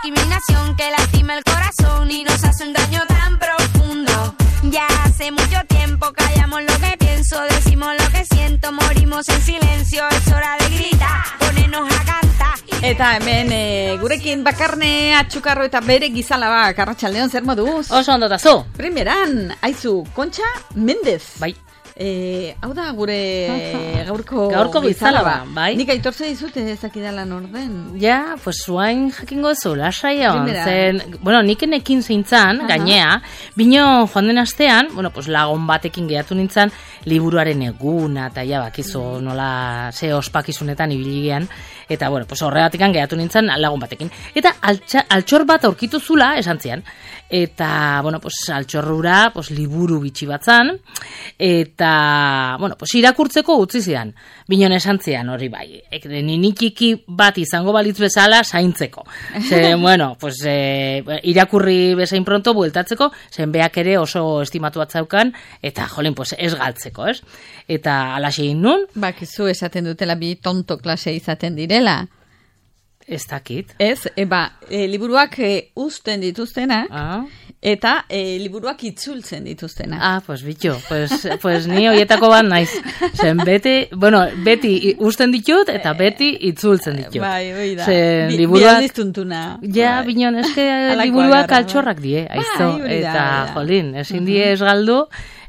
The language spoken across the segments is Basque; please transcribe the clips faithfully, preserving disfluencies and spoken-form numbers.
discriminación que lastima el corazón y nos hace un daño tan profundo. Ya hace mucho tiempo callamos lo que pienso, decimos lo que siento, morimos en silencio, es hora de gritar, ponernos a cantar. Eta hemen e, gurekin Bakarne Atxukarro eta bere gizalaba Arratsaldeon zer moduz? Oso ondo tazu. Primeran, aizu, Kontxa Mendez. Bai. Eh, hau da gure gaurko gaurko bizalaba, bai. Nik aitortze dizut ezakidala norden. Ja, pues zuain jakingo zu, lasaia zen, bueno, nik enekin zeintzan, gainea, bino joan den astean, bueno, pues lagun batekin gehatu nintzen, liburuaren eguna, eta ja, bakizu nola ze ospakizunetan ibiligean, eta, bueno, pues horregatikan gehatu nintzen lagun batekin. Eta altxa, altxor bat aurkitu zula, esan zian, eta, bueno, pues altxorrura, pues liburu bitxi batzan, eta Eta, bueno, pues irakurtzeko utzi zidan. Binon esan zidan hori bai. Ninikiki bat izango balitz bezala zaintzeko. Ze, bueno, pues eh, irakurri bezain pronto bueltatzeko, zen beak ere oso estimatu bat zaukan, eta jolin, pues ez galtzeko, ez? Eta alaxe nun? Bakizu esaten dutela bi tonto klase izaten direla. Ez dakit. Ez, e, ba, e, liburuak e, uzten dituztena, ah. eta e, liburuak itzultzen dituztena. Ah, pues bitxo, pues, pues ni horietako bat naiz. Zen beti, bueno, beti uzten ditut, eta beti itzultzen ditut. Bai, oi da. Zen Bi, liburuak... Bi tuntuna. Ja, bai. binon, eske liburuak altxorrak die, aizto. Bai, eta, jolin, ezin die ez galdu,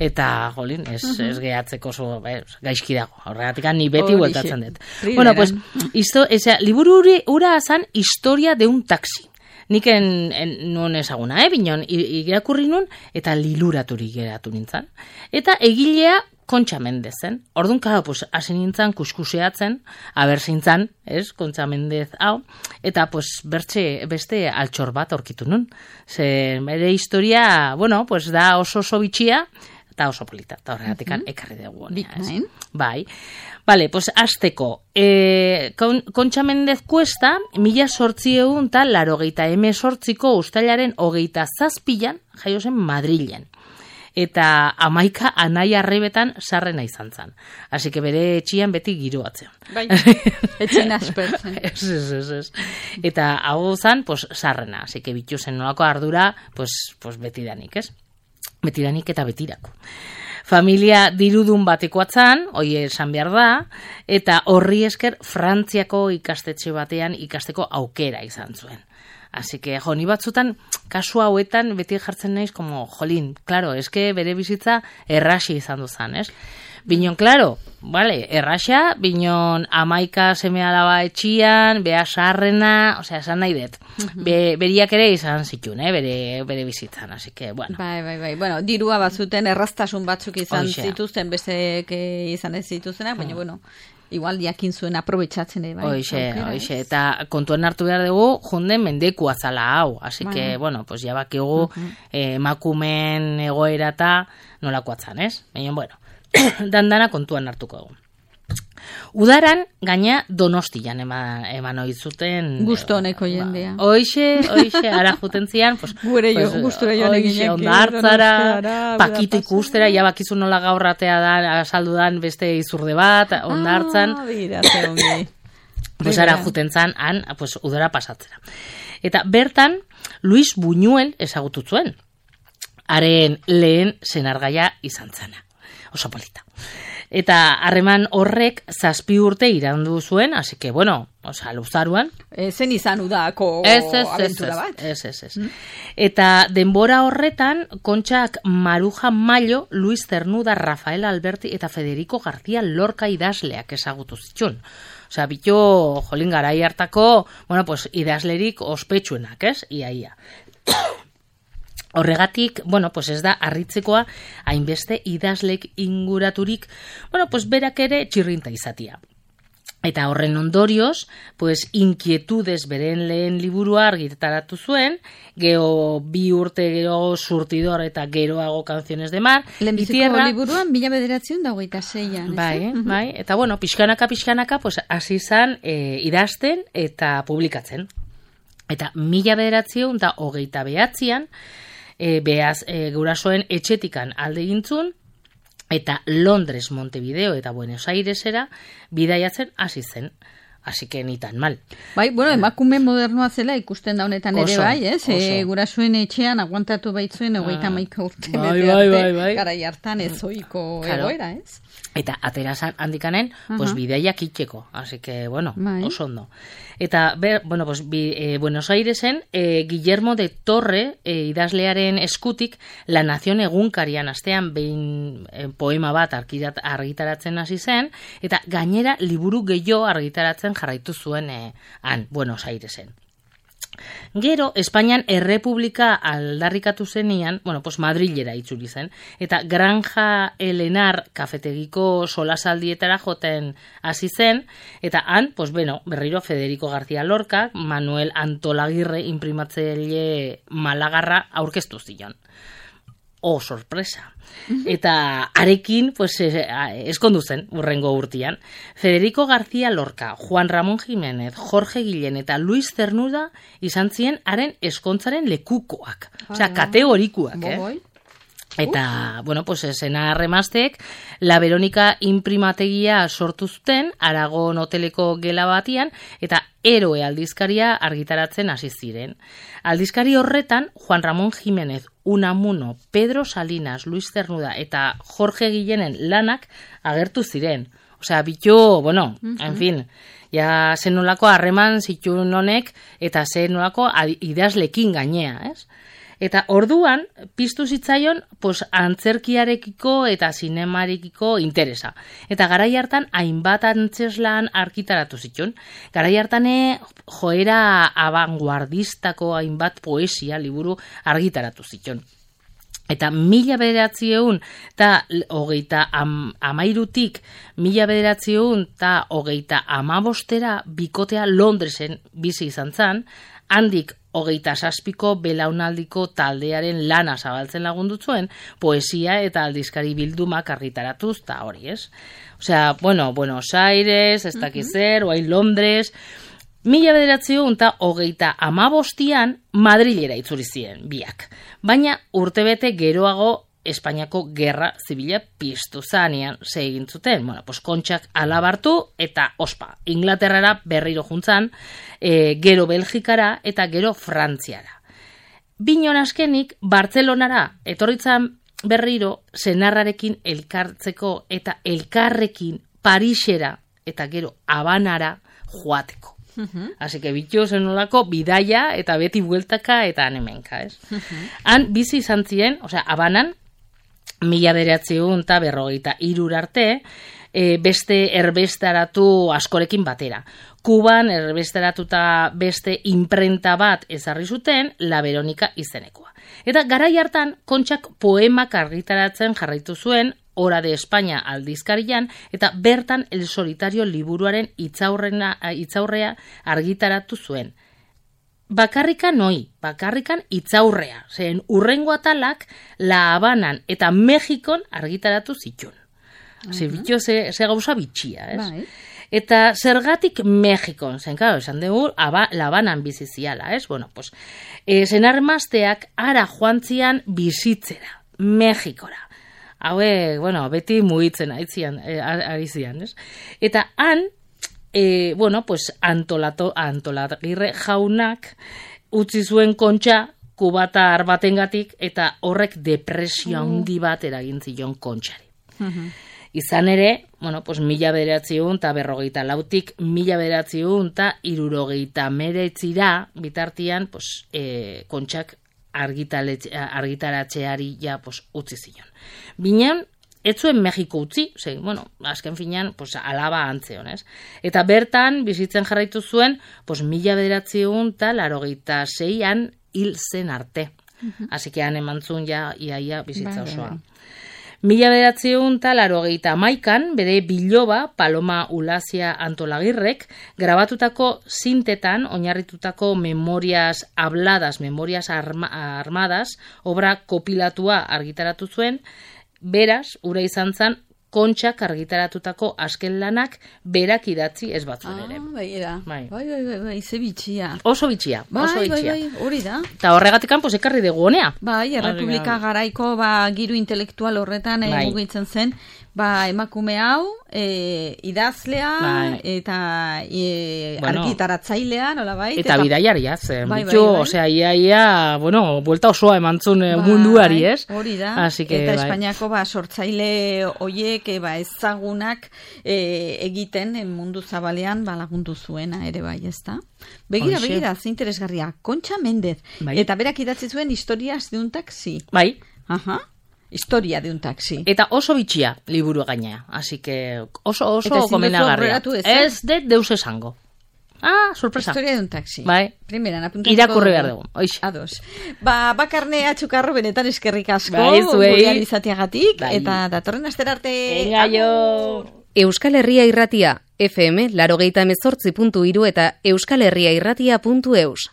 eta, jolin, ez, uh-huh. ez gehatzeko zo, ez, gaizki dago. Horregatik, ni beti bueltatzen dut. Bueno, pues, isto, eza, liburu ura azan historia de un taxi. Nik en, en, nun ezaguna, eh, binon, irakurri nun, eta liluraturik geratu nintzen. Eta egilea Kontxa Mendez zen. Orduan, karo, pues, hasi nintzen, kuskuseatzen, aber zintzen, ez, Kontxa Mendez hau, eta, pues, bertxe, beste altxor bat aurkitu nun. Ze, bere historia, bueno, pues, da oso oso bitxia, eta oso polita, eta horregatik uh-huh. ekarri dugu. Bikain. Bai. Vale, pues azteko, e, Kontxa Mendez Kuesta, mila sortzieun eta larogeita eme sortziko ustailaren hogeita zazpilan jaio zen Madrilen. Eta amaika anai arrebetan sarrena izan zen. Así que bere etxian beti giroatzean. Bai, etxen aspertzen. Ez, ez, ez, ez. Eta hau zen, pues, sarrena. Así que bitu zen nolako ardura, pues, pues betidanik, ez? Betidanik eta betirako. Familia dirudun bateko atzan, hoi esan behar da, eta horri esker Frantziako ikastetxe batean ikasteko aukera izan zuen. Así que, jo, ni batzutan, kasu hauetan beti jartzen naiz, como, jolin, claro, eske bere bizitza errasi izan duzan, ez? Binon, claro, vale, erraxa, binon amaika seme alaba etxian, bea sarrena, osea, esan nahi dut. Be, beriak ere izan zitun, eh, bere, bere bizitzan, así que, bueno. Bai, bai, bai, bueno, dirua bazuten erraztasun batzuk izan Oixea. Zituzten, bestek izan ez zituztenak, baina, bueno, igual jakin zuen aprobetxatzen ere, bai. Oixe, oixe, eta kontuan hartu behar dugu, junden mendeku azala hau, así bai. Que, bueno, pues ya bakigu, uh-huh. eh, emakumen egoera eta nolako atzan, ez? Baina, bueno, dandana kontuan hartuko dugu. Udaran, gaina Donostian eman, eman oizuten... Gusto honeko jendea. Ba, oixe, oixe, ara juten zian, pues... Gure jo, pues, gustura joan eginek. Oixe, ondartzara, pakito ikustera, ja bakizu nola gaurratea da, asaldu dan beste izurde bat, ondartzan. Ah, bira, ze ongi. Pues ara juten zan, han, pues, udara pasatzera. Eta bertan, Luis Buñuel ezagutu zuen. Haren lehen senargaia izan zana. Oso polita. Eta harreman horrek zazpi urte irandu zuen, así que, bueno, oza, luzaruan. E, zen izan udako abentura bat. Ez, ez, ez. Mm. Eta denbora horretan, Kontxak Maruja Mayo, Luis Cernuda, Rafael Alberti eta Federico García Lorca idazleak ezagutu zitxun. Osea, bito, jolin garai hartako, bueno, pues, idazlerik ospetsuenak, ez? Ia, ia. Horregatik, bueno, pues ez da harritzekoa hainbeste idazlek inguraturik, bueno, pues berak ere txirrinta izatia. Eta horren ondorioz, pues inkietudes beren lehen liburua argitaratu zuen, geho bi urte gero Surtidor eta geroago Canciones de Mar. Lehenbiziko liburuan mila bederatzen da hogeita zeian. Bai, eh? bai, eta bueno, pixkanaka, pixkanaka, pues hasi zan e, idazten eta publikatzen. Eta mila bederatzen da hogeita behatzean, E, behaz, e, gurasoen etxetikan alde gintzun, eta Londres, Montevideo eta Buenos Airesera bidaiatzen hasi zen. Así que ni tan mal. Bai, bueno, emakume modernoa zela ikusten da honetan ere oso, bai, ez? E, gurasuen etxean aguantatu baitzuen hogeita hamaika urte bete arte, garai hartan ez ohiko egoera, ez? Eta aterazan handikanen, pues bidaiak itxeko. Así que, bueno, bai. Oso ondo. Eta, ber, bueno, pues, bi, e, Buenos Airesen, e, Guillermo de Torre, e, idazlearen eskutik, La Nación egunkarian astean behin e, poema bat argitaratzen hasi zen, eta gainera liburu gehiago argitaratzen jarraitu zuen e, han, Buenos Airesen. Gero, Espainian errepublika aldarrikatu zenian, bueno, pues Madrilera itzuli zen, eta Granja Elenar kafetegiko solasaldietara joten hasi zen, eta han, pues bueno, berriro Federico García Lorca, Manuel Antolagirre imprimatzaile Malagarra aurkeztu zion. Oh, sorpresa. Eta arekin, pues, eskondu zen, urrengo urtian. Federico García Lorca, Juan Ramón Jiménez, Jorge Guillén eta Luis Cernuda izan ziren haren eskontzaren lekukoak. Osea, kategorikuak, eh? Eta, bueno, pues, esena remaztek, La Verónica imprimategia sortu zuten, Aragon hoteleko gela batian, eta Eroe aldizkaria argitaratzen hasi ziren. Aldizkari horretan, Juan Ramón Jiménez, Unamuno, Pedro Salinas, Luis Cernuda eta Jorge Guillenen lanak agertu ziren. Osea, bitu, bueno, uh-huh. en fin, ja zenolako harreman zituen honek eta zenolako idazlekin gainea, ez? Eta orduan, piztu zitzaion, pues, antzerkiarekiko eta zinemarekiko interesa. Eta garai hartan, hainbat antzeslan argitaratu zituen. Garai hartane, joera abanguardistako hainbat poesia liburu argitaratu zituen. Eta mila bederatzieun eta hogeita am, amairutik mila bederatzieun eta hogeita amabostera bikotea Londresen bizi izan zan, handik hogeita zazpiko belaunaldiko taldearen lana zabaltzen lagundu zuen, poesia eta aldizkari bildumak argitaratuz, eta hori, ez? Osea, bueno, Buenos Aires, ez dakizer, uh-huh. oain Londres, mila bederatziun eta hogeita amabostian Madrilera itzuli ziren, biak. Baina urtebete geroago Espainiako gerra zibila piztu zanean segin zuten. Bueno, pues Kontxak alabartu eta ospa. Inglaterrara berriro juntzan, e, gero Belgikara eta gero Frantziara. Binon askenik, Bartzelonara etorritzan berriro senarrarekin elkartzeko eta elkarrekin Parisera eta gero Habanara joateko. Uh-huh. Así que bitu zenolako bidaia eta beti bueltaka eta anemenka, ez? Uh-huh. Han bizi izan ziren, osea, Habanan, mila bederatziun eta berrogeita irur arte, e, beste erbestaratu askorekin batera. Kuban erbestaratuta beste imprenta bat ezarri zuten, La Verónica izenekoa. Eta garai hartan, Kontxak poemak argitaratzen jarraitu zuen, Hora de España aldizkarian, eta bertan El Solitario liburuaren itzaurrena, itzaurrea argitaratu zuen. Bakarrikan noi, bakarrikan itzaurrea. Zen urrengo atalak La Habanan eta Mexikon argitaratu zituen. Uh-huh. Ze bitxo, ze, ze gauza bitxia, ez? Bai. Eta zergatik Mexikon, zen, claro, esan dugu, La Habanan biziziala, ez? Bueno, pues, e, zenarmazteak ara joantzian bizitzera, Mexikora. Haue, bueno, beti mugitzen aitzian, e, ari zian, ez? Eta han, E, bueno, pues antolato, antolagirre jaunak utzi zuen Kontxa kubatar batengatik eta horrek depresio handi bat eragin zion Kontxari. Uh-huh. Izan ere, bueno, pues mila bederatziun eta berrogeita lautik mila bederatziun eta irurogeita meretzira bitartian, pues, e, Kontxak argitaratzeari ja, pues, utzi zion. Binean, ez zuen Mexiko utzi, ze, bueno, azken finean, pues, alaba antzeon, ez? Eta bertan, bizitzen jarraitu zuen, pues, mila bederatziun eta larogeita zeian hil zen arte. Uh-huh. Así que han emantzun ja, iaia bizitza osoa. Mila bederatziun eta larogeita maikan, bere biloba, Paloma Ulazia Antolagirrek, grabatutako zintetan, oinarritutako memorias habladas, memorias arma, armadas, obra kopilatua argitaratu zuen. Beraz, ura izan zan, Kontxak argitaratutako azken lanak berak idatzi ez batzuen ere. Ah, bai, era. Bai, bai, bai, bai, bai, ze bitxia. Oso bitxia, bai, oso bitxia. Bai, bai, hori da. Eta horregatikan, pues, ekarri dugu honea. Bai, errepublika garaiko, ba, giru intelektual horretan bai. Mugitzen zen, ba, emakume hau, e, idazlea, bai. eta e, bueno, argitaratzailea, nola bai? Eta, eta bidaiaria, zen. Bai, bai, bai. Osea, ia, ia, bueno, buelta osoa emantzun bai, munduari, ez? Hori da. Así que, eta bai. Espainiako ba, sortzaile oiek ba, ezagunak e, egiten mundu zabalean ba, lagundu zuena ere bai, ez da? Begira, Oixe. begira, ze interesgarria. Kontxa Mendez. Bai. Eta berak idatzi zuen historias de un taxi. Bai. Aha. Historia de un taxi. Eta oso bitxia liburu gainea. Así que oso oso gomenagarria. Ez de deus esango. Ah, sorpresa. Historia de un taxi. Bai. Primeran apuntatuko. Irakurri behar dugu. Oixe. Ados. Ba, Bakarne Atxukarro benetan eskerrik asko. Bai, zuei. Gurean izatiagatik. Bai. Eta datorren asterarte. Venga, jo. Euskal Herria Irratia, F M, laurogeita hemezortzi puntu hiru eta euskalherriairratia puntu eus.